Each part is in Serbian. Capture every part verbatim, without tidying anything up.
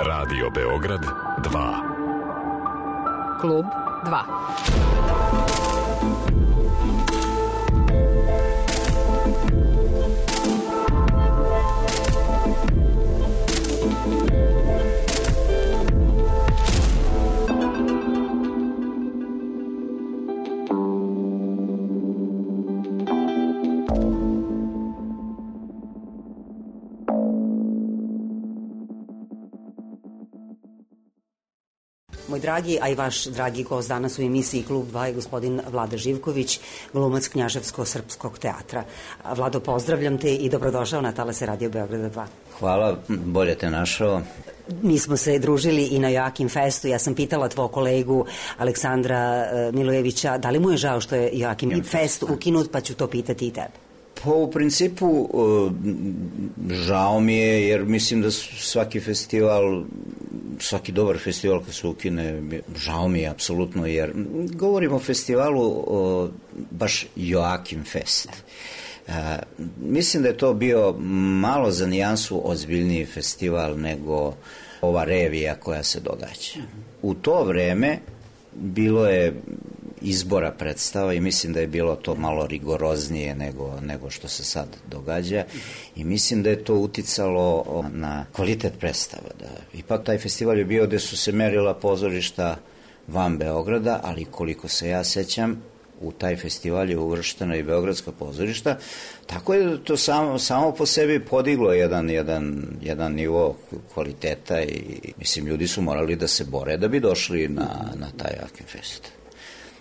Radio Beograd dva. Klub dva. Moj dragi, a i vaš dragi gost danas u emisiji Klub dva je gospodin Vlada Živković, glumac Knjaževsko-srpskog teatra. Vlado, pozdravljam te i dobrodošao na talase Radio Beograda dva. Hvala, bolje te našao. Mi smo se družili i na Joakim Festu. Ja sam pitala tvoj kolegu Aleksandra Milojevića da li mu je žao što je Joakim Fest ukinut, pa ću to pitati i tebe. Pa u principu žao mi je, jer mislim da svaki festival, svaki dobar festival kad se ukine, žao mi je apsolutno, jer govorimo o festivalu o, baš Joakim Fest. A, mislim da je to bio malo za nijansu ozbiljniji festival nego ova revija koja se događa. U to vreme bilo je izbora predstava i mislim da je bilo to malo rigoroznije nego, nego što se sad događa i mislim da je to uticalo na kvalitet predstava. Da. Ipak taj festival je bio gde su se merila pozorišta van Beograda, ali koliko se ja sećam, u taj festival je uvrštena i beogradska pozorišta, tako je to samo, samo po sebi podiglo jedan, jedan, jedan nivo kvaliteta i mislim ljudi su morali da se bore da bi došli na, na taj Joakim Fest.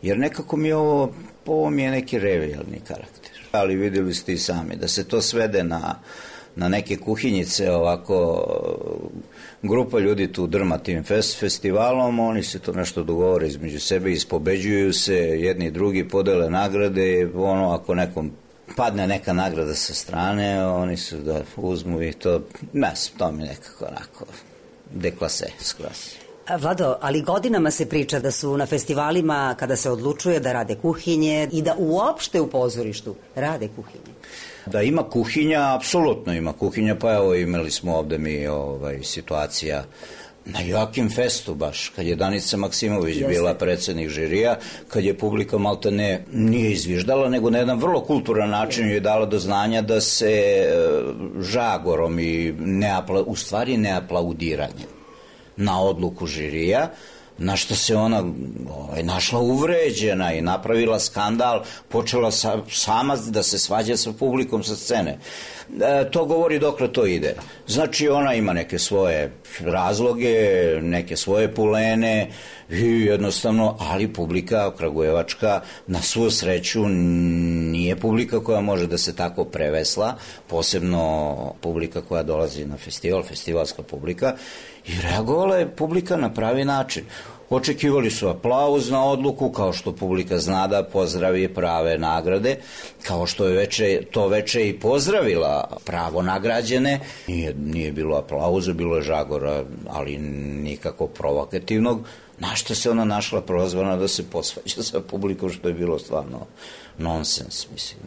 Jer nekako mi ovo, ovo mi je neki revijalni karakter. Ali vidjeli ste i sami, da se to svede na, na neke kuhinjice, ovako grupa ljudi tu drma tim fest, festivalom, oni se to nešto dogovore između sebe, ispobeđuju se, jedni i drugi podele nagrade, ono ako nekom padne neka nagrada sa strane, oni su da uzmu i to, ne, to mi nekako onako deklase, skroz. Vlado, ali godinama se priča da su na festivalima kada se odlučuje da rade kuhinje i da uopšte u pozorištu rade kuhinje. Da ima kuhinja, apsolutno ima kuhinja, pa evo imali smo ovde mi ovaj, situacija na Joakim Festu baš, kad je Danica Maksimović Jeste. bila predsednik žirija, kad je publika malta ne, nije izviždala, nego na jedan vrlo kulturan način je dala do znanja da se e, žagorom i neapla, u stvari neaplaudiranjem na odluku žirija, na što se ona ovaj, našla uvređena i napravila skandal, počela sa, sama da se svađa sa publikom sa scene. E, to govori dokle to ide. Znači ona ima neke svoje razloge, neke svoje pulene i jednostavno, ali publika kragujevačka na svu sreću nije publika koja može da se tako prevesla, posebno publika koja dolazi na festival, festivalska publika, i reagovala je publika na pravi način. Očekivali su aplauz na odluku, kao što publika zna da pozdravi prave nagrade, kao što je veče, to veče i pozdravila pravo nagrađene. Nije, nije bilo aplauza, bilo je žagora, ali nikako provokativnog. Na što se ona našla prozvana da se posvađa sa publikom, što je bilo stvarno nonsens, mislim.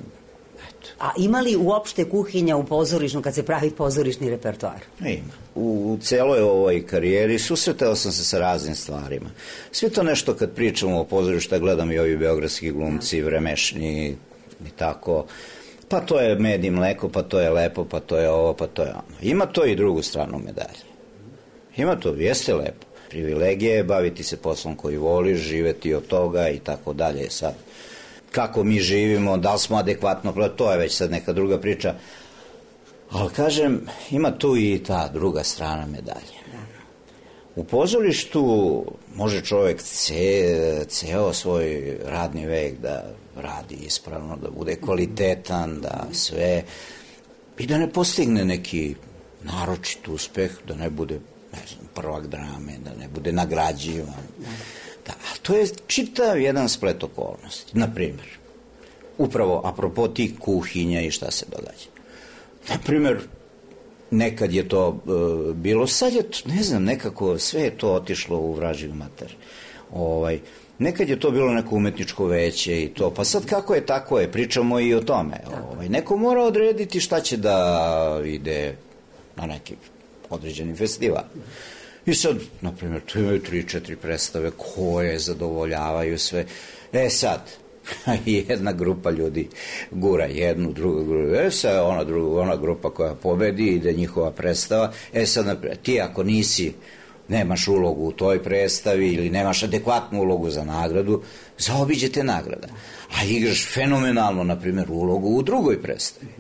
A ima li uopšte kuhinja u pozorišnu kad se pravi pozorišni repertoar? Ima. U celoj ovoj karijeri susretao sam se sa raznim stvarima. Sve to nešto kad pričamo o pozorišta, gledam i ovi beogradski glumci, vremešni i tako. Pa to je med i mleko, pa to je lepo, pa to je ovo, pa to je ono. Ima to i drugu stranu medalje. Ima to, jeste lepo. Privilegije je baviti se poslom koji voliš, živeti od toga i tako dalje. Sad, kako mi živimo, da li smo adekvatno, to je već sad neka druga priča. Ali kažem, ima tu i ta druga strana medalje. U pozorištu može čovjek ce, ceo svoj radni vek da radi ispravno, da bude kvalitetan, da sve, i da ne postigne neki naročit uspeh, da ne bude, ne znam, prvak drame, da ne bude nagrađivan. Da, a to je čitav jedan splet okolnosti. Naprimjer, upravo apropo tih kuhinja i šta se događa. Naprimjer, nekad je to e, bilo, sad je, ne znam, nekako sve je to otišlo u vražiju mater. Ovaj, nekad je to bilo neko umetničko veće i to, pa sad kako je, tako je, pričamo i o tome. Ovaj, neko mora odrediti šta će da ide na neki određeni festival. I sad, na primjer, tu imaju tri, četiri predstave koje zadovoljavaju sve. E sad, jedna grupa ljudi gura jednu, drugu grupu, e sad ona, druga, ona grupa koja pobedi, ide njihova predstava, e sad, naprijed, ti ako nisi, nemaš ulogu u toj predstavi ili nemaš adekvatnu ulogu za nagradu, zaobiđete nagrada. A igraš fenomenalno, na primjer, ulogu u drugoj predstavi.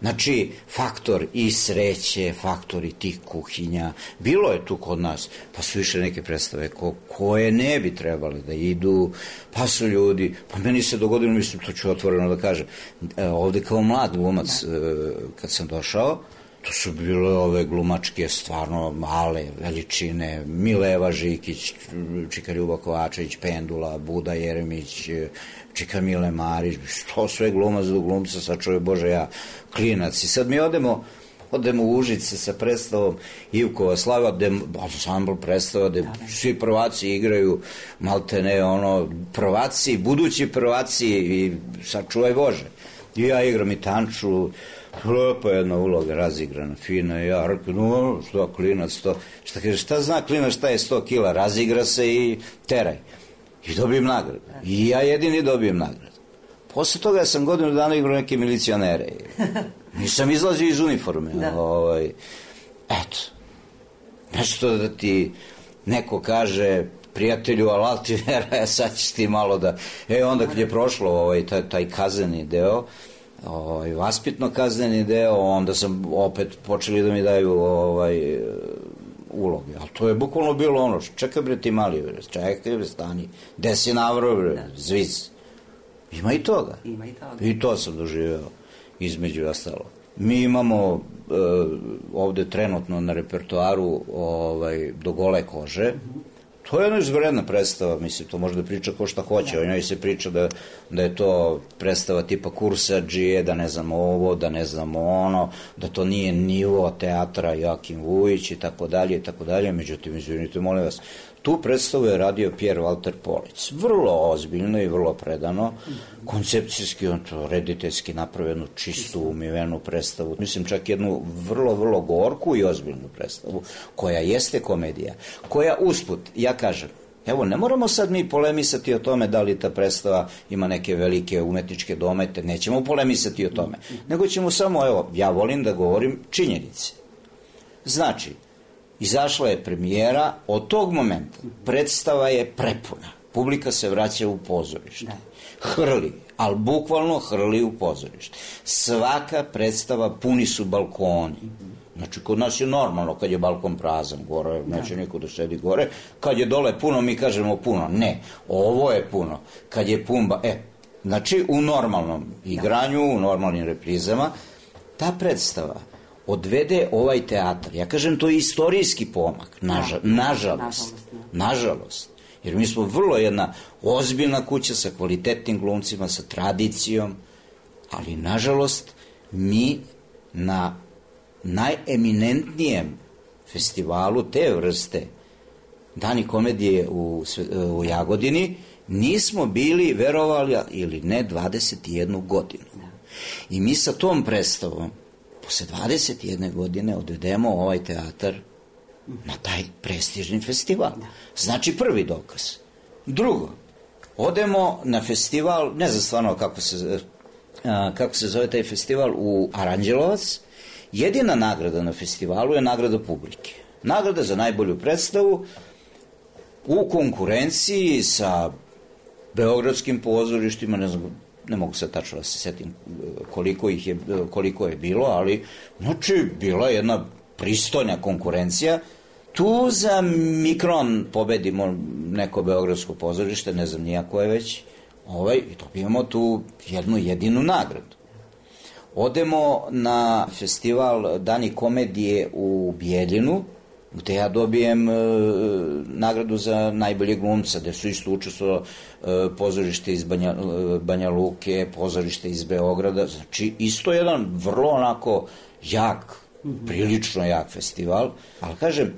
Znači, faktor i sreće, faktor i tih kuhinja, bilo je tu kod nas, pa su više neke predstave ko, koje ne bi trebali da idu, pa su ljudi, pa meni se dogodilo, mislim, to ću otvoreno da kažem, ovde kao mlad glumac, kad sam došao, to su bile ove glumačke stvarno male veličine, Mileva Žikić, Čika Ljuba Kovačević, Pendula, Buda Jeremić, Čika Mile Marić, što sve glumac do glumca, sad čovjek Bože ja, klinac. I sad mi odemo, odemo u Užice sa predstavom Ivkova slava, gde ansambl predstava, gde svi prvaci igraju, malte ne, ono, prvaci, budući prvaci i sačuvaj Bože. I ja igram i tanču, lepa jedna uloga razigrana, fina, i ja rekao, no, što klinac, to, šta kaže, šta zna klinac, šta je sto kila, razigra se i teraj. I dobijem nagradu. I ja jedini dobijem nagradu. Posle toga sam godinu dana igrao neke milicionere. Nisam izlazio iz uniforme. Da. Ovaj, eto. Nešto da ti neko kaže, prijatelju, ali ti vera, sad ćeš ti malo da... E, onda kad je prošlo ovaj, taj, taj kazneni deo, ovaj, vaspitno kazneni deo, onda sam opet počeli da mi daju ovaj, uloge. Ali to je bukvalno bilo ono, čekaj bre ti mali, bre, čekaj bre, stani, gde si navrao bre, zviz. Ima i toga. Ima i toga. I to sam doživeo, između ostalo. Mi imamo uh, ovde trenutno na repertoaru ovaj, Do gole kože. Mm-hmm. To je jedna izvredna predstava, mislim, to može da priča ko šta hoće, da. O njoj se priča da, da je to predstava tipa Kursadžije, da ne znamo ovo, da ne znamo ono, da to nije nivo teatra Joakim Vujić i tako dalje i tako dalje, međutim, izvinite, molim vas, tu predstavu je radio Pierre Walter Polic, vrlo ozbiljno i vrlo predano, koncepcijski, on to rediteljski napravljenu, čistu, umivenu predstavu, mislim čak jednu vrlo, vrlo gorku i ozbiljnu predstavu, koja jeste komedija, koja usput, ja kažem, evo, ne moramo sad mi polemisati o tome da li ta predstava ima neke velike umetničke domete, nećemo polemisati o tome, nego ćemo samo, evo, ja volim da govorim činjenice. Znači, izašla je premijera, od tog momenta predstava je prepuna. Publika se vraća u pozorište. Hrli, ali bukvalno hrli u pozorište. Svaka predstava puni su balkoni. Znači, kod nas je normalno kad je balkon prazan, gore, neće niko da sedi gore. Kad je dole puno, mi kažemo puno. Ne, ovo je puno. Kad je pumba, e, znači u normalnom igranju, u normalnim reprizama, ta predstava odvede ovaj teatar. Ja kažem, to je istorijski pomak, naža, nažalost. Nažalost. Jer mi smo vrlo jedna ozbiljna kuća sa kvalitetnim glumcima, sa tradicijom, ali nažalost mi na najeminentnijem festivalu te vrste Dani komedije u, u Jagodini nismo bili, verovali ili ne, dvadeset jednu godinu. I mi sa tom predstavom posle dvadeset jedne godine odvedemo ovaj teatar na taj prestižni festival. Znači prvi dokaz. Drugo, odemo na festival, ne znam stvarno kako se, kako se zove taj festival, u Aranđelovac. Jedina nagrada na festivalu je nagrada publike. Nagrada za najbolju predstavu u konkurenciji sa beogradskim pozorištima, ne znam, ne mogu sad tačno da se setim koliko ih je, koliko je bilo, ali znači bila jedna pristojna konkurencija. Tu za Mikron pobedimo neko beogradsko pozorište, ne znam nijako je već, ovaj, i dobijemo tu jednu jedinu nagradu. Odemo na festival Dani komedije u Bijeljinu, gde ja dobijem e, nagradu za najbolje glumca, gde su isto učestvovali e, pozorište iz Banja, e, Banja Luke, pozorište iz Beograda, znači isto jedan vrlo onako jak, prilično jak festival, ali kažem,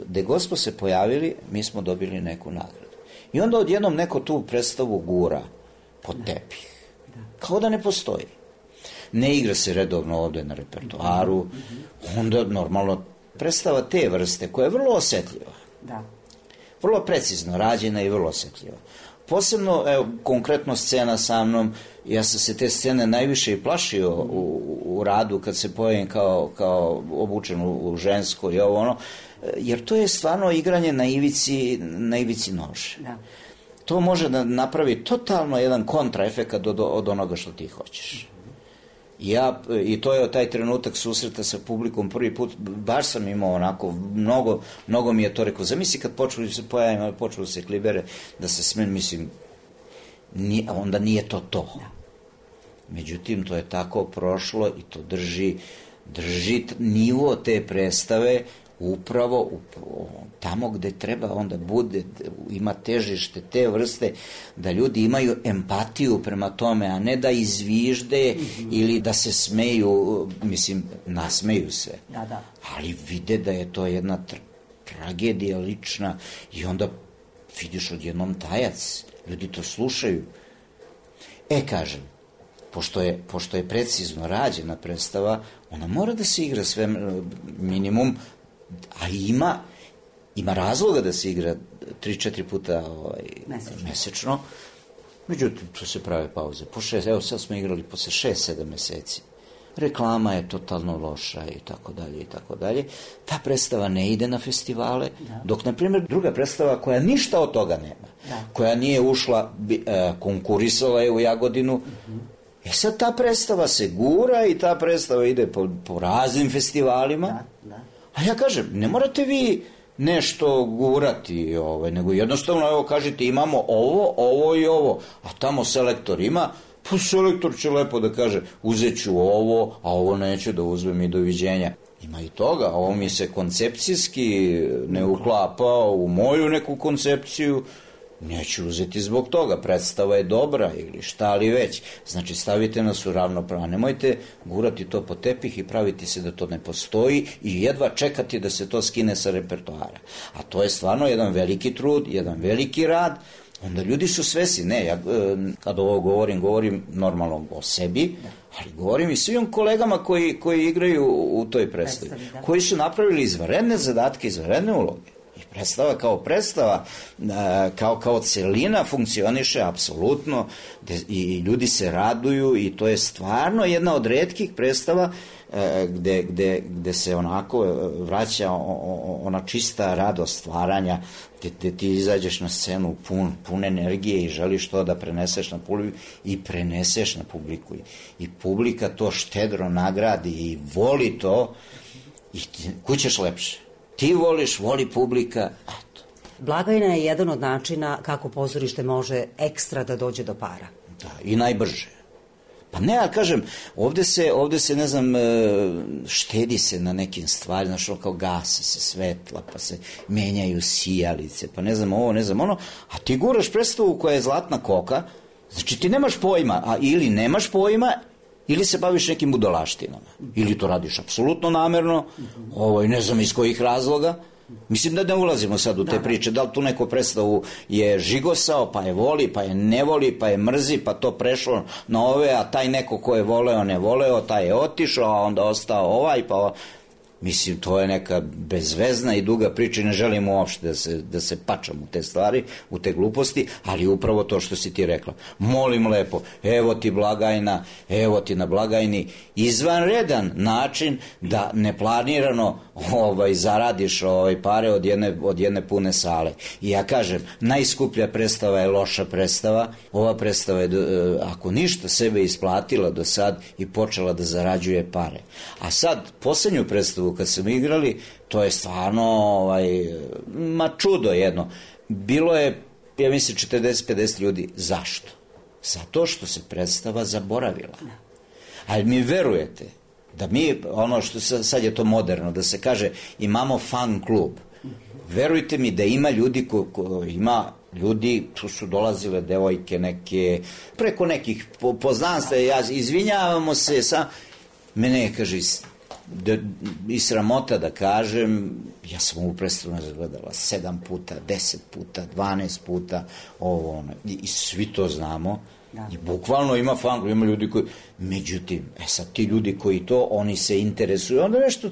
gde god smo se pojavili, mi smo dobili neku nagradu. I onda odjednom neko tu predstavu gura pod tepih, kao da ne postoji. Ne igra se redovno ovde na repertoaru, onda normalno predstava te vrste koja je vrlo osetljiva. Da. Vrlo precizno rađena i vrlo osetljiva. Posebno, evo, konkretno scena sa mnom, ja sam se te scene najviše i plašio u, u radu kad se pojavim kao, kao obučen u, u žensko i ovo ono, jer to je stvarno igranje na ivici, na ivici nože. Da. To može da napravi totalno jedan kontraefekat od, od onoga što ti hoćeš. Ja, i to je taj trenutak susreta sa publikom prvi put, baš sam imao onako, mnogo, mnogo mi je to rekao. Zamisli kad počeli se pojavim, počeli se klibere, da se smen, mislim, nije, onda nije to to. Međutim, to je tako prošlo i to drži, drži nivo te predstave upravo, upravo tamo gde treba onda bude, ima težište te vrste, da ljudi imaju empatiju prema tome, a ne da izvižde mm-hmm. ili da se smeju, mislim, nasmeju se. Da, da. Ali vide da je to jedna tra tragedija lična i onda vidiš odjednom tajac. Ljudi to slušaju. E, kažem, pošto je, pošto je precizno rađena predstava, ona mora da se igra sve minimum, a ima ima razloga da se igra tri četiri puta ovaj, mesečno. mesečno. Međutim, tu se prave pauze. Po šest, evo sad smo igrali posle šest sedam meseci. Reklama je totalno loša i tako dalje i tako dalje. Ta predstava ne ide na festivale, da. Dok, na primjer, druga predstava koja ništa od toga nema, da. Koja nije ušla, e, konkurisala je u Jagodinu, uh-huh. E sad ta predstava se gura i ta predstava ide po, po raznim festivalima. Da, da. A ja kažem, ne morate vi nešto gurati, ovaj, nego jednostavno, evo, kažete, imamo ovo, ovo i ovo, a tamo selektor ima, pa selektor će lepo da kaže, uzet ću ovo, a ovo neću da uzmem i doviđenja. Ima i toga, ovo mi se koncepcijski ne uklapa u moju neku koncepciju, neću uzeti zbog toga, predstava je dobra ili šta li već. Znači, stavite nas u ravnopravno. Nemojte gurati to po tepih i praviti se da to ne postoji i jedva čekati da se to skine sa repertoara. A to je stvarno jedan veliki trud, jedan veliki rad. Onda ljudi su svesni. Ne, ja kad ovo govorim, govorim normalno o sebi, ali govorim i svim kolegama koji, koji igraju u toj predstavi, koji su napravili izvanredne zadatke, izvanredne uloge. I predstava kao predstava, kao, kao celina funkcioniše apsolutno i ljudi se raduju i to je stvarno jedna od retkih predstava gde, gde, gde se onako vraća ona čista radost stvaranja, gde, gde ti izađeš na scenu pun, pun energije i želiš to da preneseš na publiku i preneseš na publiku. I publika to štedro nagradi i voli to i kućeš lepše. Ti voliš, voli publika, eto. Blagajna je jedan od načina kako pozorište može ekstra da dođe do para. Da, i najbrže. Pa ne, ja kažem, ovde se, ovde se, ne znam, štedi se na nekim stvarima, znaš, kao gase se svetla, pa se menjaju sijalice, pa ne znam ovo, ne znam ono, a ti guraš predstavu koja je zlatna koka, znači ti nemaš pojma, a ili nemaš pojma, ili se baviš nekim budalaštinama, ili to radiš apsolutno namerno, ovaj, ne znam iz kojih razloga. Mislim da ne ulazimo sad u te priče, da li tu neko predstavu je žigosao, pa je voli, pa je ne voli, pa je mrzi, pa to prešlo na ove, a taj neko ko je voleo, ne voleo, taj je otišao, a onda ostao ovaj, pa... Mislim, to je neka bezvezna i duga priča i ne želimo uopšte da se, da se pačamo u te stvari, u te gluposti, ali upravo to što si ti rekla. Molim lepo, evo ti blagajna, evo ti na blagajni izvanredan način da neplanirano ovaj, zaradiš ovaj, pare od jedne, od jedne pune sale. I ja kažem, najskuplja predstava je loša predstava, ova predstava je, ako ništa, sebe isplatila do sad i počela da zarađuje pare. A sad, poslednju predstavu kad smo igrali, to je stvarno ovaj, ma čudo jedno. Bilo je, ja mislim, četrdeset pedeset ljudi. Zašto? Zato što se predstava zaboravila. Ali mi verujete da mi, ono što sad je to moderno, da se kaže imamo fan klub. Verujte mi da ima ljudi ko, ko ima ljudi, tu su dolazile devojke neke, preko nekih poznanstva, ja izvinjavamo se, sam, mene kaže Da, i sramota da kažem, ja sam ovu predstavu gledala sedam puta, deset puta, dvanaest puta, ovo ono, i, i svi to znamo, da. I bukvalno ima fan, ima ljudi koji, međutim, e sad ti ljudi koji to, oni se interesuju, onda nešto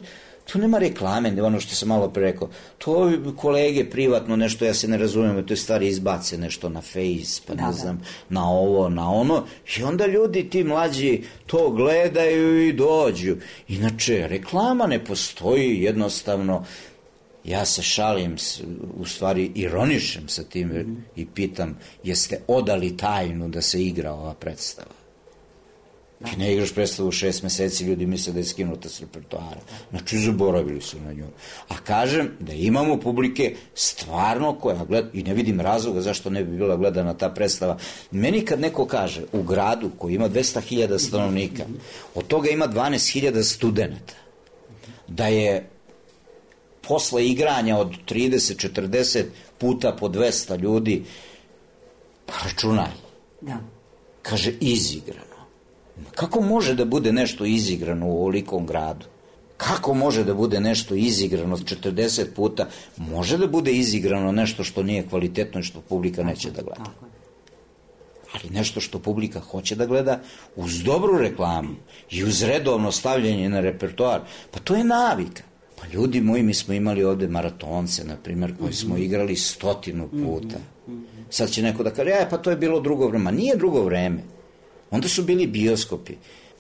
Tu nema reklame, ono što sam malo pre rekao. To kolege privatno nešto, ja se ne razumijem, te stvari izbace nešto na Face, pa ne da, znam, da. na ovo, na ono. I onda ljudi, ti mlađi, to gledaju i dođu. Inače, reklama ne postoji, jednostavno. Ja se šalim, u stvari ironišem sa tim mm. i pitam, jeste odali tajnu da se igra ova predstava? Da. Ti ne igraš predstavu šest meseci, ljudi misle da je skinuta s repertoara. Znači, zaboravili su na nju. A kažem da imamo publike stvarno koja gleda, i ne vidim razloga zašto ne bi bila gledana ta predstava. Meni kad neko kaže u gradu koji ima dvesta hiljada stanovnika, od toga ima dvanaest hiljada studenta, da je posle igranja od trideset četrdeset puta po dvesta ljudi, pa računaj. Da. Kaže, izigrano. Kako može da bude nešto izigrano u ovolikom gradu? Kako može da bude nešto izigrano četrdeset puta? Može da bude izigrano nešto što nije kvalitetno i što publika neće da gleda. Ali nešto što publika hoće da gleda uz dobru reklamu i uz redovno stavljanje na repertoar, pa to je navika. Pa ljudi moji, mi smo imali ovde maratonce, na primjer, koji smo igrali stotinu puta. Sad će neko da kaže, ja, pa to je bilo drugo vreme. Ma nije drugo vreme. Onda su bili bioskopi.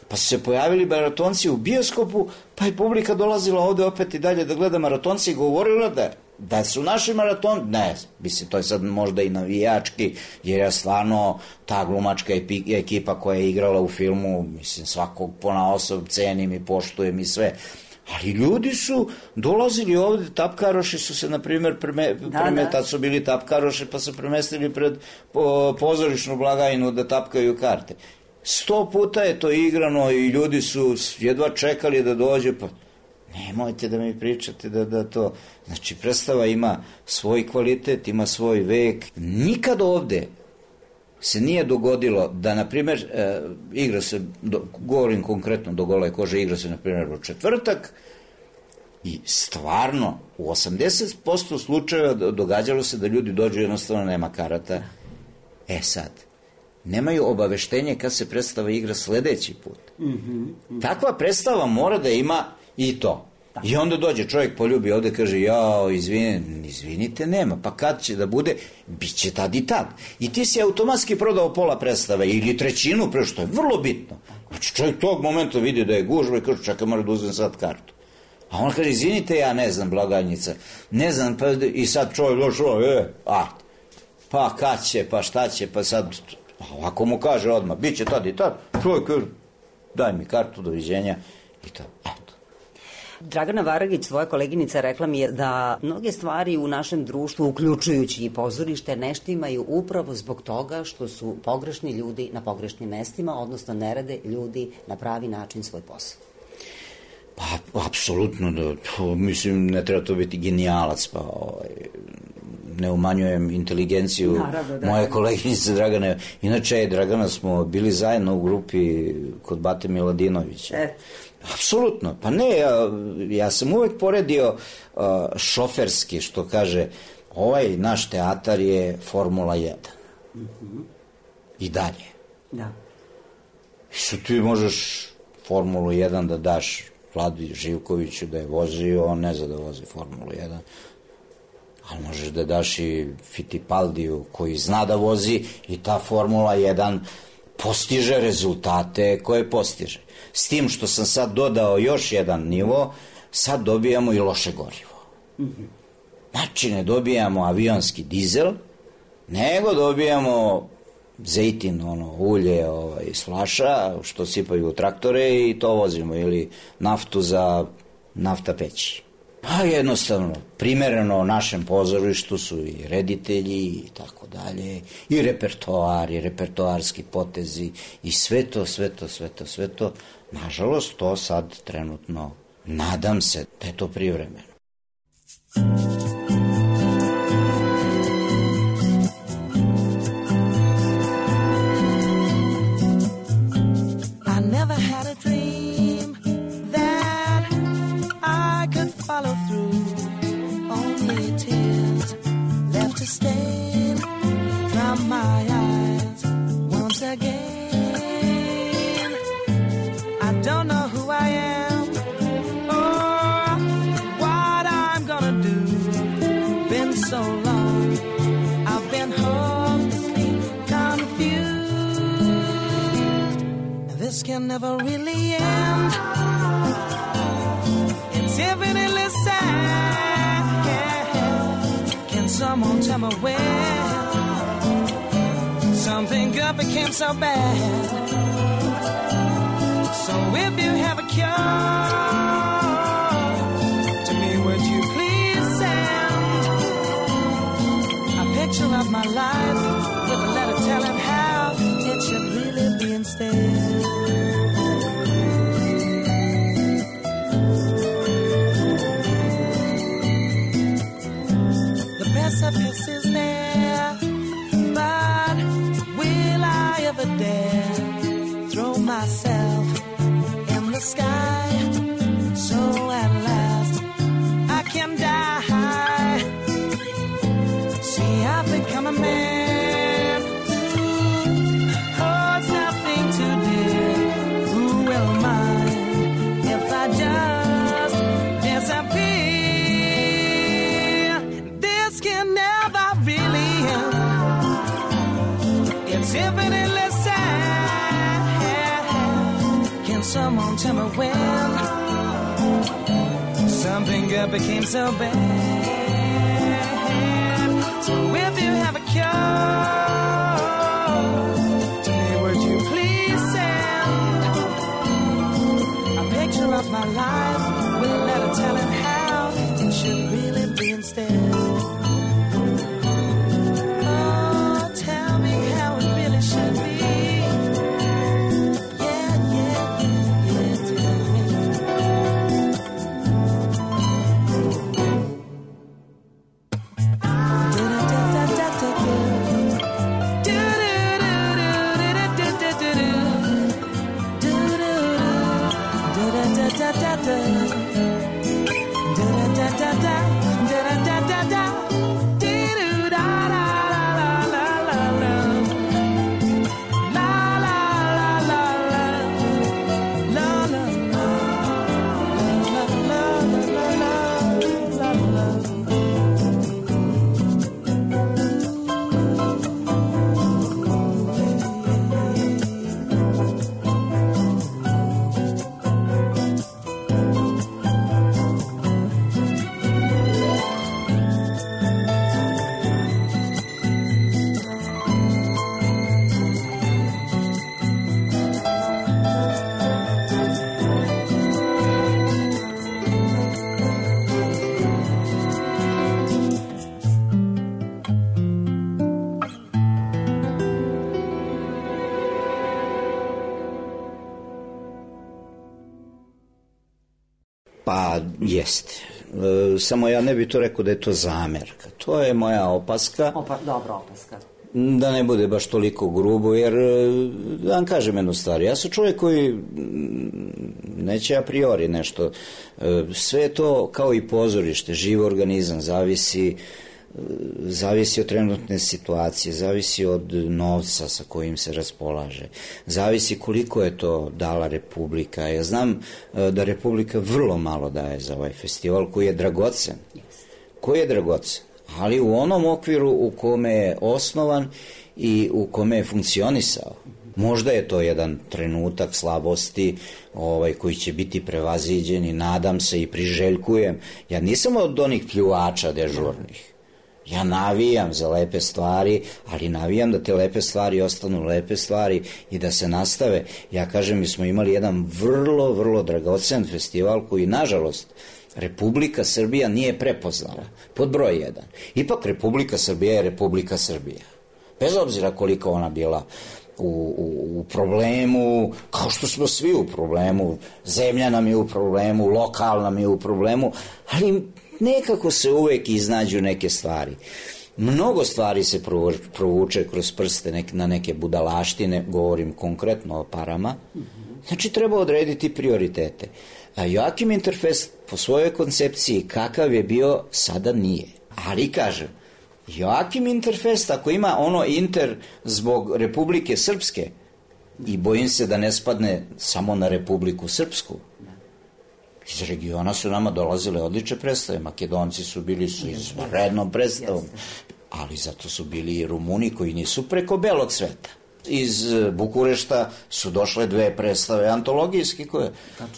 Pa su se pojavili maratonci u bioskopu, pa je publika dolazila ovde opet i dalje da gleda maratonci i govorila da, da su naši maraton... Ne, mislim, to je sad možda i navijački, jer je stvarno ta glumačka ekipa koja je igrala u filmu, mislim, svakog ponaosob cenim i poštujem i sve. Ali ljudi su dolazili ovde, tapkaroši su se, na primjer, preme, da, preme, da. tad su bili tapkaroši, pa su premestili pred po, pozorišnu blagajnu da tapkaju karte. Sto puta je to igrano i ljudi su jedva čekali da dođe, pa nemojte da mi pričate da, da to... Znači, predstava ima svoj kvalitet, ima svoj vek. Nikad ovde se nije dogodilo da, na primjer, e, igra se, do, govorim konkretno do Gole kože, igra se, na primjer, u četvrtak i stvarno u osamdeset posto slučajeva događalo se da ljudi dođu, jednostavno nema karata. E sad, nemaju obaveštenje kad se predstava igra sledeći put. Mm-hmm. Takva predstava mora da ima i to. I onda dođe čovjek, poljubi ovde, kaže, jao, izvini, izvinite, nema, pa kad će da bude, bit će tad i tad. I ti si automatski prodao pola predstave ili trećinu, pre što je vrlo bitno. Znači, čovjek tog momenta vidi da je gužba i kaže, čekaj, mora da uzem sad kartu. A on kaže, izvinite, ja ne znam, blagajnica, ne znam, pa i sad čovjek došao, e, a, pa kad će, pa šta će, pa sad, ako mu kaže odmah, bit će tad i tad, čovjek kaže, daj mi kartu, doviđenja, i to, eto. Dragana Varagić, svoja koleginica, rekla mi je da mnoge stvari u našem društvu, uključujući i pozorište, ne štimaju upravo zbog toga što su pogrešni ljudi na pogrešnim mestima, odnosno ne rade ljudi na pravi način svoj posao. Pa, apsolutno, da, to, mislim, ne treba to biti genijalac, pa ovaj, ne umanjujem inteligenciju Naravno, da, moje koleginice Dragane. Inače, Dragana, smo bili zajedno u grupi kod Bate Miladinovića. E. Apsolutno, pa ne, ja, ja sam uvek poredio uh, šoferski, što kaže, ovaj naš teatar je Formula jedan. Mm-hmm. I dalje. Da. I sad ti možeš Formulu jedan da daš Vladi Živkoviću da je vozio, on ne zna da vozi Formulu jedan, ali možeš da daš i Fittipaldiju koji zna da vozi i ta Formula jedan postiže rezultate koje postiže. S tim što sam sad dodao još jedan nivo, sad dobijamo i loše gorivo. Mm-hmm. Znači, ne dobijamo avionski dizel, nego dobijamo zejtin, ono, ulje ovaj, iz flaša, što sipaju u traktore i to vozimo, ili naftu za nafta peći. Pa jednostavno, primereno našem pozorištu su i reditelji i tako dalje, i repertoar, i repertoarski potezi, i sve to, sve to, sve to, sve to. Nažalost, to sad trenutno, nadam se da je to privremeno. I never had a dream that I could follow through. Only tears left to stain from my eyes once again. Don't know who I am or so long. I've been hopelessly confused. This can never really end. It's infinitely sad. Can someone tell me when something good became so bad? So if you have a cure, to me would you please send a picture of my life with a letter telling how it should really be instead. The precipice is there, but will I ever dare throw myself in the sky, so at last I can die? See, I've become a man who holds nothing too dear. Who will mind if I just disappear? This can never really end. It's infinitely sad. Can someone tell me when something good became so bad? So if you have a cure, to me would you please send a picture of my life with a letter telling how it should really be instead. Oh, tell me how it really should be. Pa, jeste. E, samo ja ne bih to rekao da je to zamerka. To je moja opaska. Opa, dobra opaska. Da ne bude baš toliko grubo, jer da vam kažem jednu stvar. Ja sam čovjek koji neće a priori nešto. E, sve je to kao i pozorište, živ organizam, zavisi zavisi od trenutne situacije, zavisi od novca sa kojim se raspolaže, zavisi koliko je to dala Republika. Ja znam da Republika vrlo malo daje za ovaj festival koji je dragocen, koji je dragocen, ali u onom okviru u kome je osnovan i u kome je funkcionisao. Možda je to jedan trenutak slabosti ovaj, koji će biti prevaziđen i nadam se i priželjkujem. Ja nisam od onih pljuvača dežurnih. Ja navijam za lepe stvari, ali navijam da te lepe stvari ostanu lepe stvari i da se nastave. Ja kažem, mi smo imali jedan vrlo, vrlo dragocen festival koji, nažalost, Republika Srbija nije prepoznala. Pod broj jedan. Ipak Republika Srbija je Republika Srbija. Bez obzira koliko ona bila u, u, u problemu, kao što smo svi u problemu, zemlja nam je u problemu, lokal nam je u problemu, ali nekako se uvek iznađu neke stvari. Mnogo stvari se provuče kroz prste na neke budalaštine, govorim konkretno o parama. Znači, treba odrediti prioritete. A Joakim Interfest po svojoj koncepciji kakav je bio, sada nije. Ali kažem, Joakim Interfest, ako ima ono inter zbog Republike Srpske, i bojim se da ne spadne samo na Republiku Srpsku, Iz regiona su nama dolazile odlične predstave. Makedonci su bili su izvanrednom predstavom, ali zato su bili i Rumuni koji nisu preko belog sveta. Iz Bukurešta su došle dve predstave antologijske koje,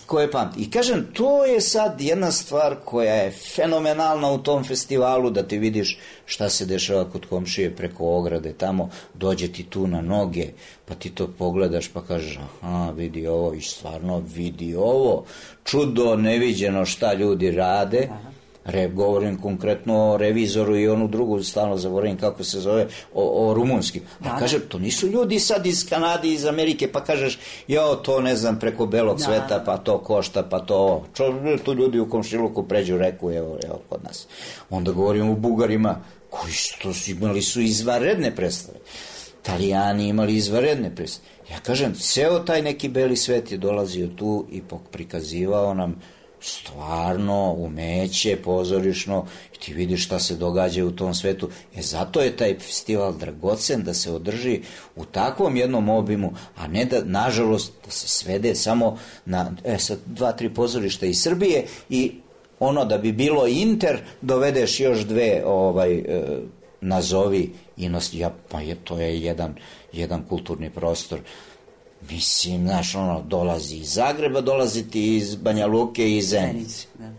koje pamti. I kažem, to je sad jedna stvar koja je fenomenalna u tom festivalu, da ti vidiš šta se dešava kod komšije preko ograde, tamo dođe ti tu na noge, pa ti to pogledaš pa kažeš, aha, vidi ovo, i stvarno vidi ovo, čudo neviđeno šta ljudi rade. Re, govorim konkretno o revizoru i onu drugu, stalno zaboravim kako se zove, o, o rumunskim. A da, kažem, to nisu ljudi sad iz Kanade, iz Amerike, pa kažeš, jo, to ne znam, preko belog da. sveta, pa to košta, pa to ovo. Čo, tu ljudi u komšiluku pređu reku, evo, evo, kod nas. Onda govorim o Bugarima, koji su imali su izvanredne predstave. Italijani imali izvanredne predstave. Ja kažem, ceo taj neki beli svet je dolazio tu i prikazivao nam stvarno umeće pozorišno i ti vidiš šta se događa u tom svetu. E zato je taj festival dragocen da se održi u takvom jednom obimu, a ne da, nažalost, da se svede samo na e, sad, dva, tri pozorišta iz Srbije i ono da bi bilo Inter, dovedeš još dve ovaj, e, nazovi inost, ja, pa je, to je jedan, jedan kulturni prostor. Mislim, znaš, ono, dolazi iz Zagreba, dolazi ti iz Banja Luke i iz Zenice. Da.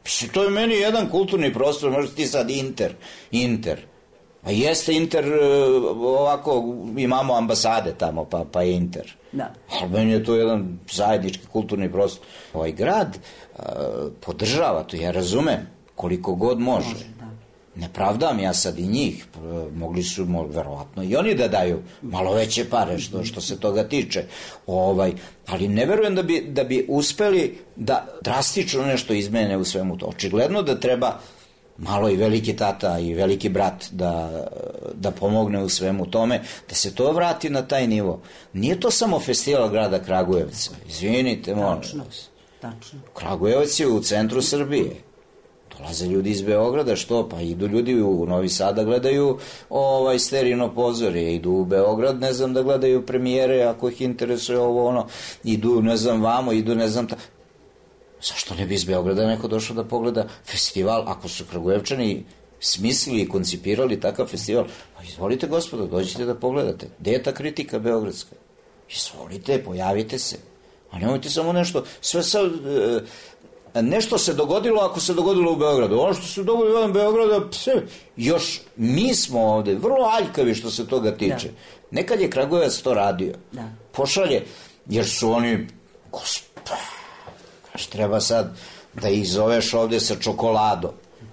Mislim, to je meni jedan kulturni prostor, možda ti sad Inter, Inter. A jeste Inter, ovako, imamo ambasade tamo, pa, pa je Inter. Da. Ali meni je to jedan zajednički kulturni prostor. Ovaj grad uh, podržava to, ja razumem, koliko god može. može da. Ne pravdam ja sad i njih, mogli su verovatno i oni da daju malo veće pare što, što se toga tiče, ovaj, ali ne verujem da bi, da bi uspeli da drastično nešto izmene u svemu to. Očigledno da treba malo i veliki tata i veliki brat da, da pomogne u svemu tome, da se to vrati na taj nivo. Nije to samo festival grada Kragujevca, izvinite, molim vas. Tačno. Kragujevac je u centru Srbije. Dolaze ljudi iz Beograda, što? Pa idu ljudi u Novi Sad da gledaju ovaj sterino pozorje, idu u Beograd, ne znam, da gledaju premijere, ako ih interesuje ovo, ono, idu, ne znam, vamo, idu, ne znam, ta... Zašto ne bi iz Beograda neko došao da pogleda festival, ako su Kragujevčani smislili i koncipirali takav festival? Pa izvolite, gospodo, dođite da pogledate. Gde je ta kritika beogradska? Izvolite, pojavite se. A nemojte samo nešto, sve sad... Nešto se dogodilo ako se dogodilo u Beogradu. Ono što se dogodilo u Beogradu, pse, još mi smo ovde vrlo aljkavi što se toga tiče. Da. Nekad je Kragujevac to radio. Da. Pošalje, jer su oni, gospa, kaš treba sad da ih zoveš ovde sa čokoladom.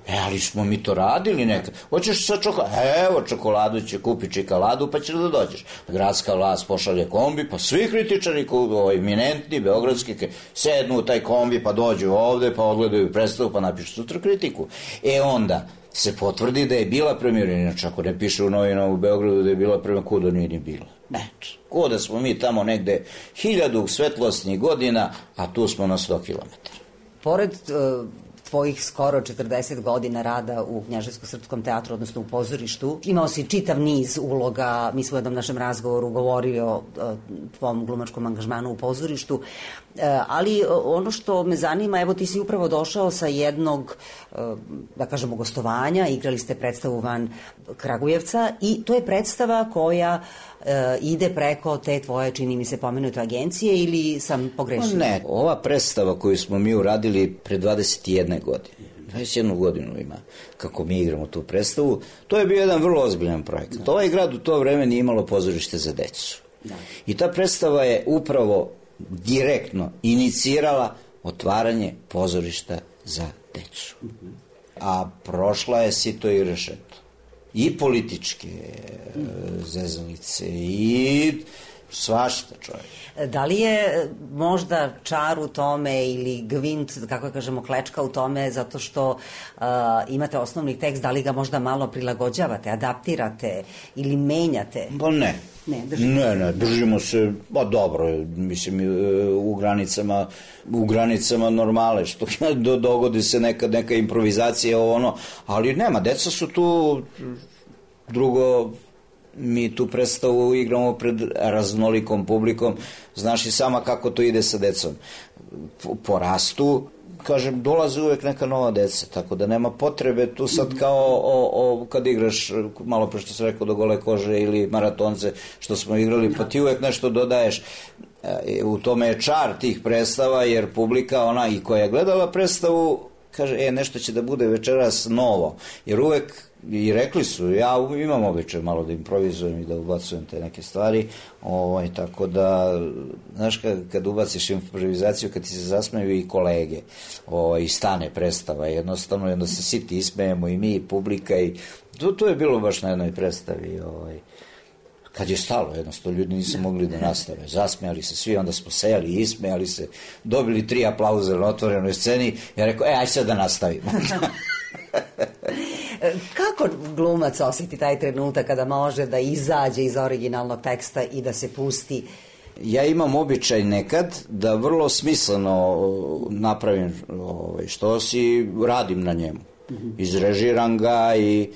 E, ali smo mi to radili nekad. Hoćeš sa čokoladom? Evo, čokoladu će kupi čokoladu, pa ćeš da dođeš. Gradska vlast pošalje kombi, pa svi kritičari, ovaj, eminentni, beogradski, sednu u taj kombi, pa dođu ovde, pa odgledaju predstavu, pa napišu sutra kritiku. E, onda se potvrdi da je bila premijera, inače ako ne piše u novinama u Beogradu da je bila premijera, kuda nije ni bila. Ne, kuda smo mi tamo negde hiljadu svetlosnih godina, a tu smo na sto kilometara. Pored... Uh... tvojih skoro četrdeset godina rada u Knjaževsko-srpskom teatru, odnosno u pozorištu. Imao si čitav niz uloga, mi smo u jednom našem razgovoru govorili o tvom glumačkom angažmanu u pozorištu, ali ono što me zanima, evo ti si upravo došao sa jednog, da kažemo, gostovanja, igrali ste predstavu van Kragujevca i to je predstava koja ide preko te tvoje, čini mi se, pomenute agencije ili sam pogrešila? Ne, ova predstava koju smo mi uradili pre dvadeset jedne godine, dvadeset jednu godinu ima kako mi igramo tu predstavu, to je bio jedan vrlo ozbiljan projekat. Da. Ovaj grad u to vreme nije imalo pozorište za decu. Da. I ta predstava je upravo direktno inicirala otvaranje pozorišta za decu. Uh-huh. A prošla je sito i rešeto. I političke uh, zezalice i svašta, čovjek. Da li je možda čar u tome ili gvint, kako kažemo, klečka u tome zato što uh, imate osnovni tekst, da li ga možda malo prilagođavate, adaptirate ili menjate? Pa ne. Ne, držimo. Ne, ne, držimo se, ba dobro, mislim, u granicama, u granicama normale, što dogodi se neka, neka improvizacija, ono, ali nema, deca su tu, drugo, mi tu predstavu igramo pred raznolikom publikom, znaš i sama kako to ide sa decom. Porastu, kažem, dolaze uvek neka nova deca, tako da nema potrebe tu sad kao o, o, kad igraš, malo pre što sam rekao, do gole kože ili maratonce što smo igrali, pa ti uvek nešto dodaješ. U tome je čar tih predstava, jer publika, ona i koja je gledala predstavu, kaže, e, nešto će da bude večeras novo, jer uvek, i rekli su, ja imam običaj malo da improvizujem i da ubacujem te neke stvari, ovaj, tako da, znaš, kad, kad ubaciš improvizaciju, kad ti se zasmeju i kolege, ovaj, i stane predstava, jednostavno, jedno se svi ti ismejemo i mi, i publika, i to, to je bilo baš na jednoj predstavi, ovaj, kad je stalo, jednostavno, ljudi nisu mogli da nastave, zasmejali se svi, onda smo sejali i ismejali se, dobili tri aplauze na otvorenoj sceni, ja rekao, e, aj sad da nastavimo. Kako glumac osjeti taj trenutak kada može da izađe iz originalnog teksta i da se pusti? Ja imam običaj nekad da vrlo smisleno napravim ovaj, što si, radim na njemu. Izrežiram ga i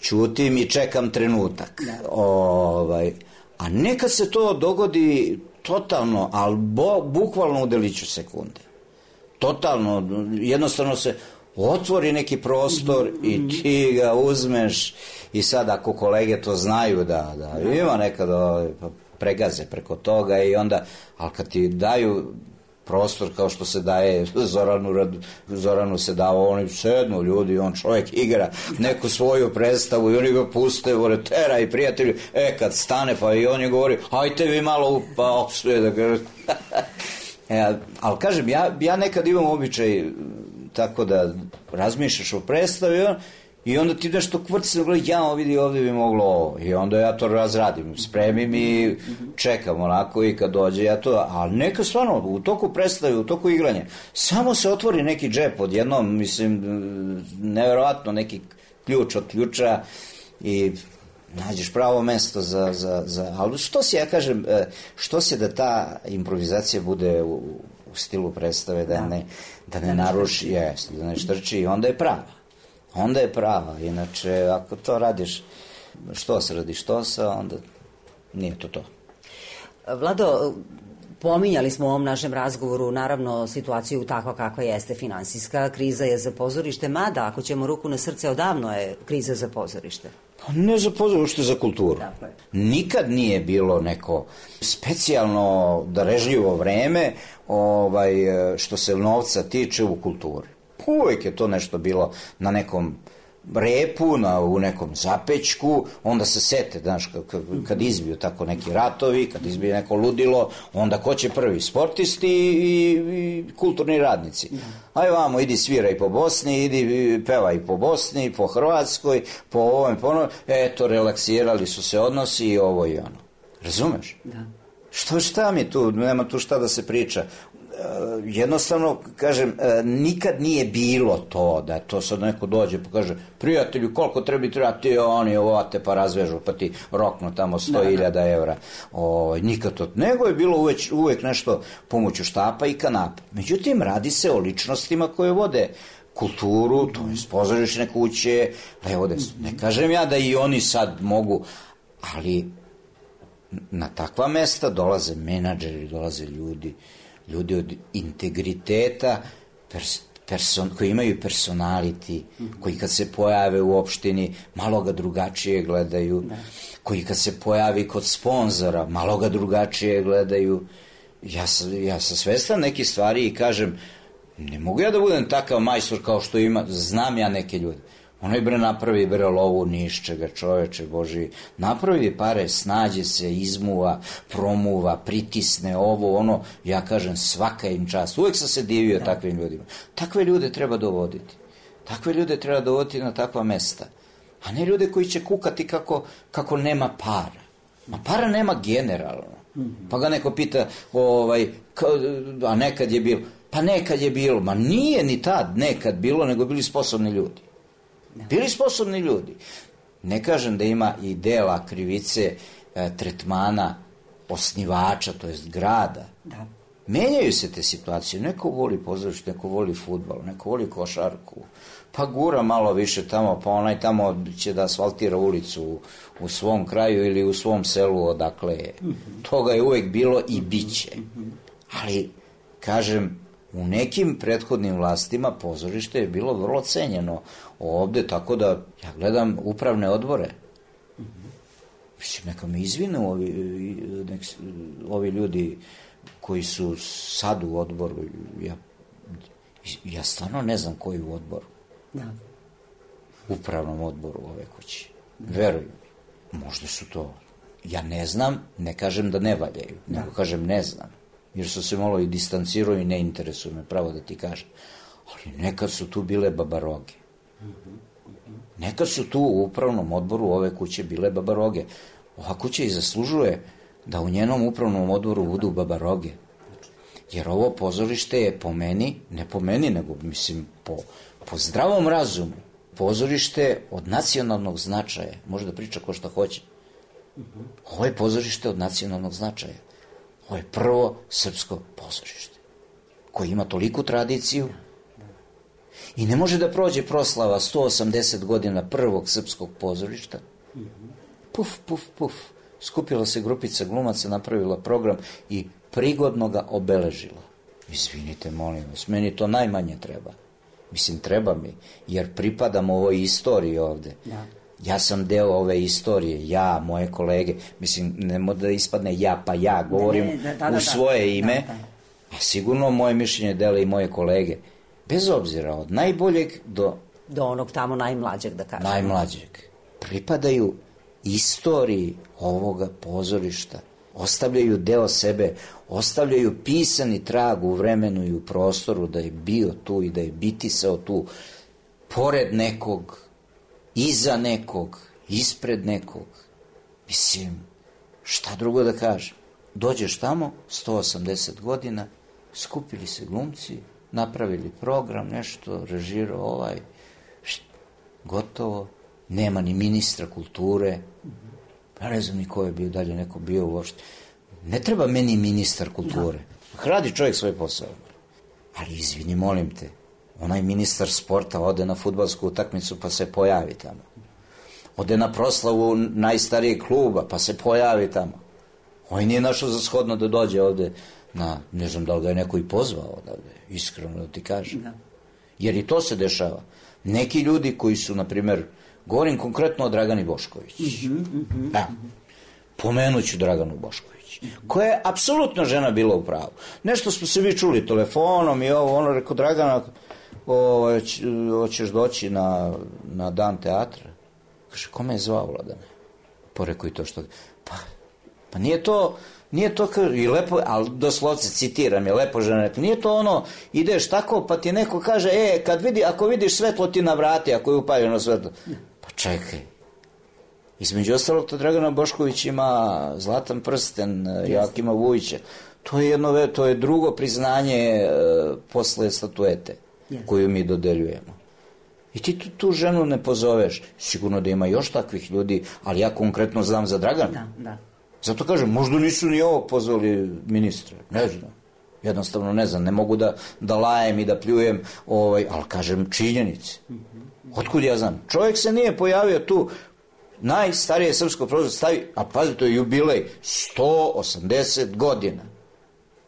ćutim i čekam trenutak. Ovaj, a nekad se to dogodi totalno, ali bo, bukvalno u deliću sekunde. Totalno, jednostavno se otvori neki prostor i ti ga uzmeš i sad ako kolege to znaju da, da ima nekad pregaze preko toga i onda, ali kad ti daju prostor kao što se daje Zoranu, Zoranu se dao, oni sednu ljudi, on čovjek igra neku svoju predstavu i oni ga puste, vore, tera i prijatelji, e kad stane pa i on je govori, hajte vi malo pa opsuje da ga... e, ali kažem, ja, ja nekad imam običaj tako da razmišljaš o predstavi i onda ti nešto kvrci na glavi, ja vidi ovdje bi moglo ovo i onda ja to razradim, spremim i čekam onako i kad dođe ja to, ali neka stvarno u toku predstave, u toku igranja samo se otvori neki džep odjednom, mislim, nevjerovatno neki ključ od ključa i nađeš pravo mesto za, za, za, ali što si, ja kažem, što si da ta improvizacija bude u, u stilu predstave, da ne, da ne naruši, jest, da ne štrči i onda je prava. Onda je prava, inače ako to radiš što se radi što se, onda nije to to. Vlado, pominjali smo u ovom našem razgovoru naravno situaciju takva kakva jeste, finansijska kriza je za pozorište, mada ako ćemo ruku na srce, odavno je kriza za pozorište. Pa ne za pozorište, za kulturu. Nikad nije bilo neko specijalno darežljivo vreme ovaj, što se novca tiče u kulturi. Uvijek je to nešto bilo na nekom repu, na, u nekom zapećku, onda se sete, znaš, kad, kad izbiju tako neki ratovi, kad izbije neko ludilo, onda ko će prvi? Sportisti i, i kulturni radnici. Aj vamo, idi sviraj po Bosni, idi pevaj po Bosni, po Hrvatskoj, po ovom, po onom, eto, relaksirali su se odnosi i ovo i ono. Razumeš? Da. Što, šta mi tu, nema tu šta da se priča. Jednostavno, kažem, nikad nije bilo to da to sad neko dođe pa kaže, prijatelju, koliko treba treba ti oni ovate pa razvežu pa ti roknu tamo sto hiljada evra. O, nikad to, nego je bilo uvek, uvek nešto pomoću štapa i kanapa. Međutim, radi se o ličnostima koje vode kulturu, to je pozorišne kuće, evo da, ne kažem ja da i oni sad mogu, ali na takva mesta dolaze menadžeri, dolaze ljudi ljudi od integriteta, pers, person, koji imaju personality, koji kad se pojave u opštini, malo ga drugačije gledaju, da. Koji kad se pojavi kod sponzora, malo ga drugačije gledaju. Ja sam, ja sam svestan nekih stvari i kažem, ne mogu ja da budem takav majstor kao što ima, znam ja neke ljude. Onaj bre napravi bre lovu nišćega, čoveče Boži, napravi pare, snađe se, izmuva, promuva, pritisne ovo, ono, ja kažem svaka im čast. Uvek sam se divio da. takvim ljudima. Takve ljude treba dovoditi. Takve ljude treba dovoditi na takva mesta. A ne ljude koji će kukati kako, kako nema para. Ma para nema generalno. Pa ga neko pita, ovaj, ka, a nekad je bilo. Pa nekad je bilo. Ma nije ni tad nekad bilo, nego bili sposobni ljudi. Bili sposobni ljudi. Ne kažem da ima i dela krivice e, tretmana osnivača, to jest grada. Da. Menjaju se te situacije. Neko voli pozorište, neko voli fudbal, neko voli košarku. Pa gura malo više tamo, pa onaj tamo će da asfaltira ulicu u, u svom kraju ili u svom selu odakle je. Mm-hmm. Toga je uvek bilo i bit će. Mm-hmm. Ali, kažem, U nekim prethodnim vlastima pozorište je bilo vrlo cenjeno ovde, tako da ja gledam upravne odbore. Mislim, neka me izvinu ovi, nek, ovi ljudi koji su sad u odboru. Ja, ja stvarno ne znam koji u odboru. Da. Upravnom odboru ove kuće. Veruju mi. Možda su to... Ja ne znam, ne kažem da ne valjaju, da. nego kažem ne znam. Jer su se malo i distancirao i ne interesuju me, pravo da ti kažem. Ali nekad su tu bile babaroge. Nekad su tu u upravnom odboru ove kuće bile babaroge. Ova kuća i zaslužuje da u njenom upravnom odboru budu babaroge. Jer ovo pozorište je po meni, ne po meni, nego mislim po, po zdravom razumu, pozorište od nacionalnog značaja. Može da priča ko šta hoće. Ovo je pozorište od nacionalnog značaja. Ovo je prvo srpsko pozorište koje ima toliku tradiciju i ne može da prođe proslava sto osamdeset godina prvog srpskog pozorišta. Puf, puf, puf. Skupila se grupica glumaca, napravila program i prigodno ga obeležila. Izvinite, molim vas, meni to najmanje treba. Mislim, treba mi, jer pripadam ovoj istoriji ovde. Da. Ja sam deo ove istorije, ja, moje kolege, mislim, ne može da ispadne ja pa ja, govorim ne, ne, da, da, da, u svoje ime, da, da. A sigurno moje mišljenje dele i moje kolege. Bez obzira, od najboljeg do... Do onog tamo najmlađeg, da kažem. Najmlađeg. Pripadaju istoriji ovoga pozorišta. Ostavljaju deo sebe, ostavljaju pisani trag u vremenu i u prostoru da je bio tu i da je bitisao tu, pored nekog, iza nekog, ispred nekog. Mislim, šta drugo da kažem? Dođeš tamo, sto osamdeset godina, skupili se glumci, napravili program, nešto, režirao ovaj, št, gotovo, nema ni ministra kulture, ja ne znam ni ko je bio, dalje neko bio uopšte. Ne treba meni ministar kulture. Da. Radi čovjek svoj posao. Ali izvini, molim te, onaj ministar sporta ode na fudbalsku utakmicu pa se pojavi tamo. Ode na proslavu najstarijeg kluba pa se pojavi tamo. On nije našao za shodno da dođe ovde na, ne znam da li ga je neko i pozvao odavde, iskreno da ti kažem. Da. Jer i to se dešava. Neki ljudi koji su, na primer, govorim konkretno o Dragani Bošković. Mm-hmm, mm-hmm, da. Pomenut ću Draganu Bošković, koja je apsolutno žena bila u pravu. Nešto smo se vi čuli telefonom i ovo, ono, rekao, Dragana, o, hoćeš doći na, na dan teatra? Kaže, kome je zvao, Vladane? Porekao i to što... Pa, pa nije to... Nije to kao, i lepo, ali doslovce citiram, je lepo žena rekla, nije to ono, ideš tako, pa ti neko kaže, e, kad vidi, ako vidiš svetlo ti navrati, ako je upaljeno svetlo. Pa čekaj. Između ostalog, to Dragana Bošković ima zlatan prsten Joakima Vujića. To je jedno, to je drugo priznanje uh, posle statuete yes. koju mi dodeljujemo. I ti tu, tu ženu ne pozoveš. Sigurno da ima još takvih ljudi, ali ja konkretno znam za Draganu. Da, da. Zato kažem, možda nisu ni ovo pozvali ministre, ne znam, jednostavno ne znam, ne mogu da, da lajem i da pljujem, ovaj, ali kažem činjenice. Otkud ja znam? Čovjek se nije pojavio tu, najstarije srpsko prozor stavi, a pazi, to je jubilej, sto osamdeset godina.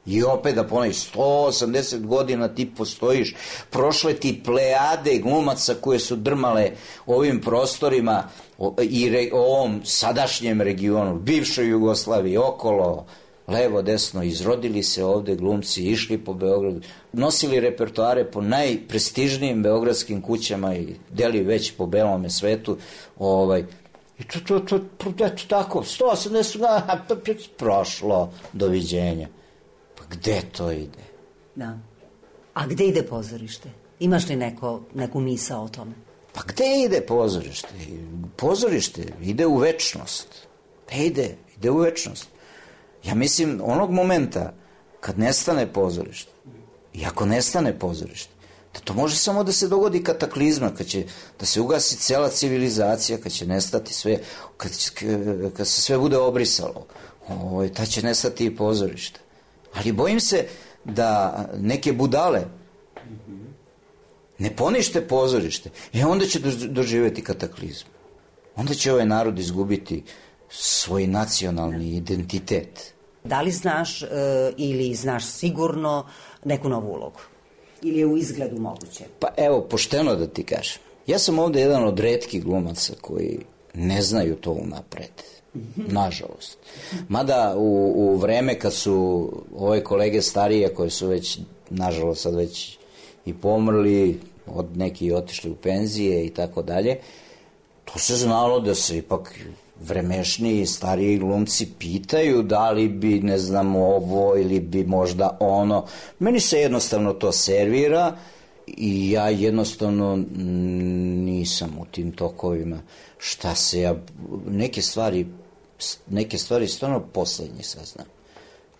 I opet da ponovim, sto osamdeset godina ti postojiš, prošle ti plejade glumaca koje su drmale ovim prostorima i re, ovom sadašnjem regionu, bivšoj Jugoslaviji, okolo, levo, desno, izrodili se ovde glumci, išli po Beogradu, nosili repertoare po najprestižnijim beogradskim kućama i deli već po belome svetu, ovaj, i to, to, to, to, eto tako, sto osamdeset godina, prošlo, doviđenja. Gde to ide? Da. A gde ide pozorište? Imaš li neko, neku misao o tome? Pa gde ide pozorište? Pozorište ide u večnost. Gde ide? Ide u večnost. Ja mislim, onog momenta kad nestane pozorište, i ako nestane pozorište, da to može samo da se dogodi kataklizma, kad će da se ugasi cela civilizacija, kad će nestati sve, kad, kad se sve bude obrisalo, o, ta će nestati i pozorište. Ali bojim se da neke budale ne ponište pozorište, e onda će doživjeti kataklizmu. Onda će ovaj narod izgubiti svoj nacionalni identitet. Da li znaš e, ili znaš sigurno neku novu ulogu? ili je u izgledu moguće? Pa evo, pošteno da ti kažem. Ja sam ovde jedan od retkih glumaca koji ne znaju to unapred. Nažalost. Mada u, u vreme kad su ove kolege starije, koje su već, nažalost, sad već i pomrli, od neki otišli u penzije i tako dalje, to se znalo da se ipak vremešniji, stariji glumci pitaju da li bi, ne znam, ovo ili bi možda ono. Meni se jednostavno to servira i ja jednostavno nisam u tim tokovima. Šta se ja, neke stvari, neke stvari stvarno poslednji saznam.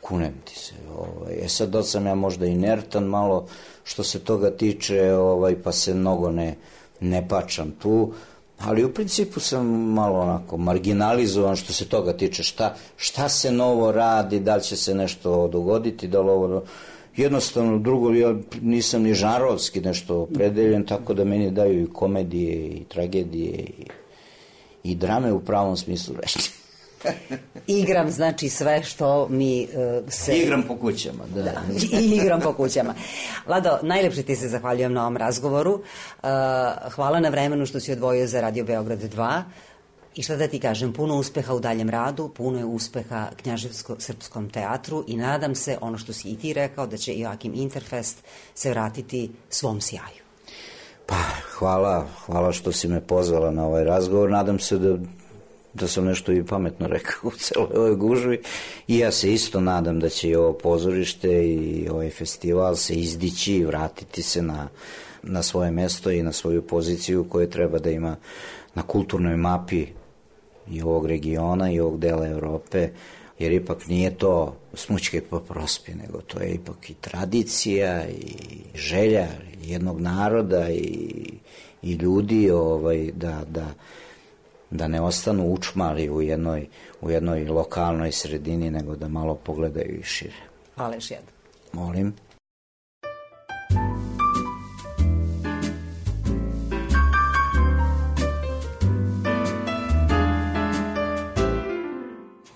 Kunem ti se. Ovaj. E sad, da sam ja možda inertan malo što se toga tiče, ovaj, pa se mnogo ne, ne pačam tu, ali u principu sam malo onako marginalizovan što se toga tiče. Šta, šta se novo radi, da li će se nešto dogoditi, da li ovo... Jednostavno, drugo, ja nisam ni žanrovski nešto opredeljen, tako da meni daju i komedije, i tragedije, i, i drame u pravom smislu reči. Igram, znači, sve što mi uh, se... Igram po kućama, da. da. I igram po kućama. Lado, najlepše ti se zahvaljujem na ovom razgovoru. Uh, hvala na vremenu što si odvojio za Radio Beograd dva. I šta da ti kažem, puno uspeha u daljem radu, puno je uspeha Knjaževsko-srpskom teatru i nadam se, ono što si i ti rekao, da će Joakim Interfest se vratiti svom sjaju. Pa, hvala, hvala što si me pozvala na ovaj razgovor. Nadam se da, da sam nešto i pametno rekao u celoj ovoj gužvi. I ja se isto nadam da će i ovo pozorište i ovaj festival se izdići i vratiti se na, na svoje mesto i na svoju poziciju koju treba da ima na kulturnoj mapi i ovog regiona i ovog dela Evrope, jer ipak nije to smućke po prospi, nego to je ipak i tradicija i želja jednog naroda i, i ljudi ovaj, da, da, da ne ostanu učmali u jednoj, u jednoj lokalnoj sredini, nego da malo pogledaju i šire. Hvala još jedno. Molim.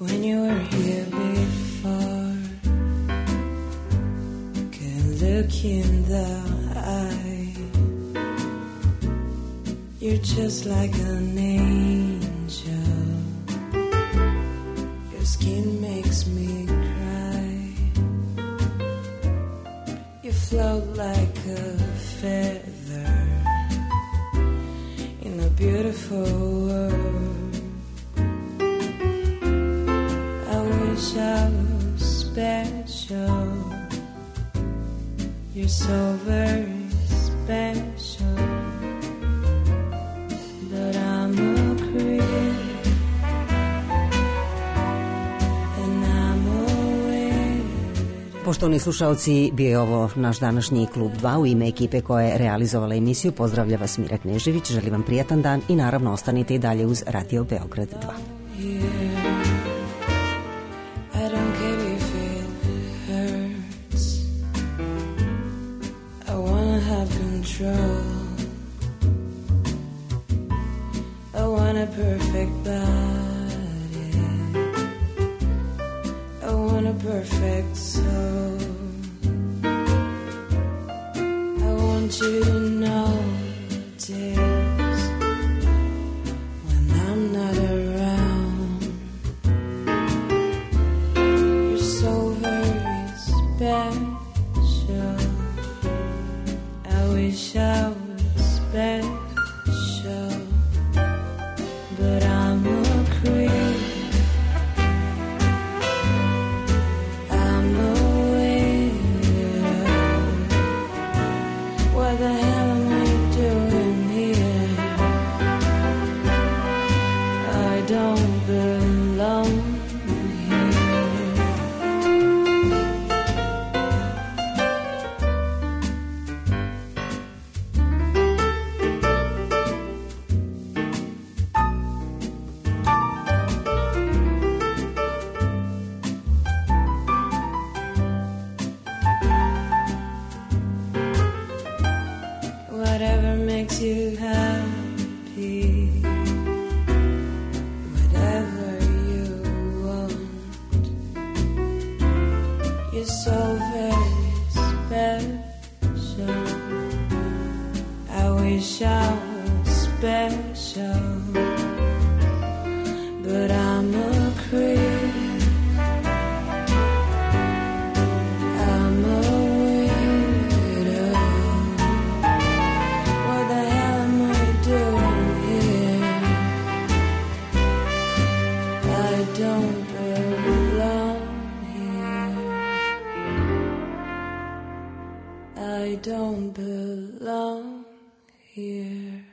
When you were here before, can look in the eye. You're just like an angel. Your skin makes me cry. You float like a feather in a beautiful world. I was special. You're so very special. But I'm a creep, and I'm a widow. Poštovani slušalci, bio je ovo naš današnji Klub dva. U ime ekipe koja je realizovala emisiju pozdravlja vas Mira Knežević. Želim vam prijatan dan i naravno ostanite i dalje uz Radio Beograd dva. I want a perfect body. I want a perfect soul. I want you to know the days when I'm not around. You're so very special. I wish I was special, but I'm a creep. I'm a widow. What the hell special, but I'm a creep. I'm a widow. What the hell am I doing here? I don't belong here. I don't belong here.